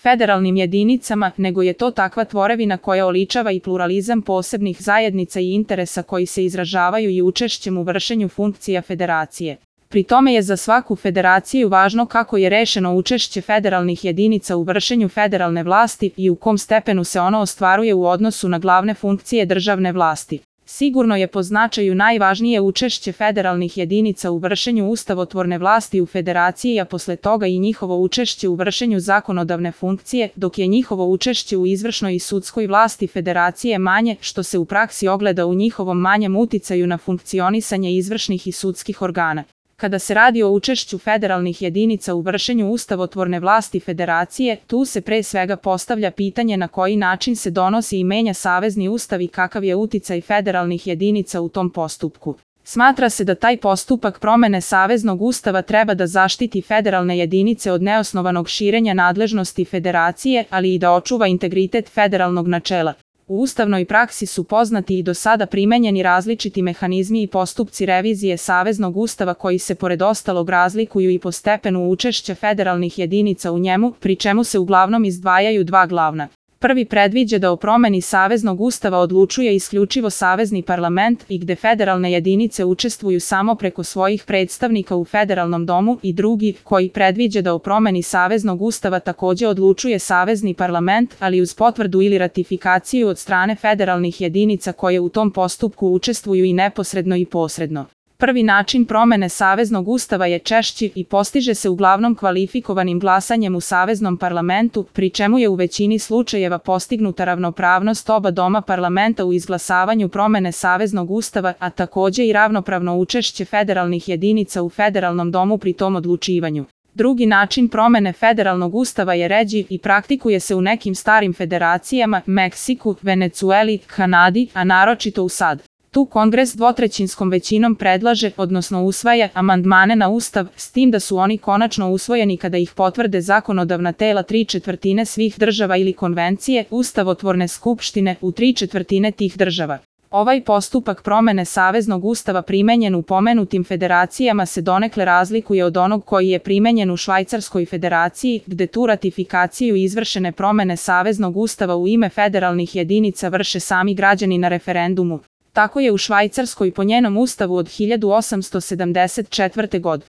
federalnim jedinicama, nego je to takva tvorevina koja oličava i pluralizam posebnih zajednica i interesa koji se izražavaju i učešćem u vršenju funkcija federacije. Pri tome je za svaku federaciju važno kako je rešeno učešće federalnih jedinica u vršenju federalne vlasti i u kom stepenu se ono ostvaruje u odnosu na glavne funkcije državne vlasti. Sigurno je po značaju najvažnije učešće federalnih jedinica u vršenju ustavotvorne vlasti u federaciji, a posle toga i njihovo učešće u vršenju zakonodavne funkcije, dok je njihovo učešće u izvršnoj i sudskoj vlasti federacije manje, što se u praksi ogleda u njihovom manjem uticaju na funkcionisanje izvršnih i sudskih organa. Kada se radi o učešću federalnih jedinica u vršenju ustavotvorne vlasti federacije, tu se pre svega postavlja pitanje na koji način se donosi i menja savezni ustav i kakav je uticaj federalnih jedinica u tom postupku. Smatra se da taj postupak promene saveznog ustava treba da zaštiti federalne jedinice od neosnovanog širenja nadležnosti federacije, ali i da očuva integritet federalnog načela. U ustavnoj praksi su poznati i do sada primenjeni različiti mehanizmi i postupci revizije saveznog ustava koji se pored ostalog razlikuju i po stepenu učešća federalnih jedinica u njemu, pri čemu se uglavnom izdvajaju dva glavna. Prvi predviđa da o promeni saveznog ustava odlučuje isključivo savezni parlament i gde federalne jedinice učestvuju samo preko svojih predstavnika u federalnom domu, i drugi, koji predviđa da o promeni saveznog ustava takođe odlučuje savezni parlament, ali uz potvrdu ili ratifikaciju od strane federalnih jedinica koje u tom postupku učestvuju i neposredno i posredno. Prvi način promene saveznog ustava je češći i postiže se uglavnom kvalifikovanim glasanjem u saveznom parlamentu, pri čemu je u većini slučajeva postignuta ravnopravnost oba doma parlamenta u izglasavanju promene saveznog ustava, a takođe i ravnopravno učešće federalnih jedinica u federalnom domu pri tom odlučivanju. Drugi način promene federalnog ustava je ređi i praktikuje se u nekim starim federacijama, Meksiku, Venecueli, Kanadi, a naročito u SAD. Tu Kongres dvotrećinskom većinom predlaže, odnosno usvaja, amandmane na Ustav, s tim da su oni konačno usvojeni kada ih potvrde zakonodavna tela 3/4 svih država ili konvencije ustavotvorne skupštine u 3/4 tih država. Ovaj postupak promene saveznog ustava primenjen u pomenutim federacijama se donekle razlikuje od onog koji je primenjen u Švajcarskoj federaciji, gde tu ratifikaciju izvršene promene saveznog ustava u ime federalnih jedinica vrše sami građani na referendumu. Tako je u Švajcarskoj po njenom ustavu od 1874. godine.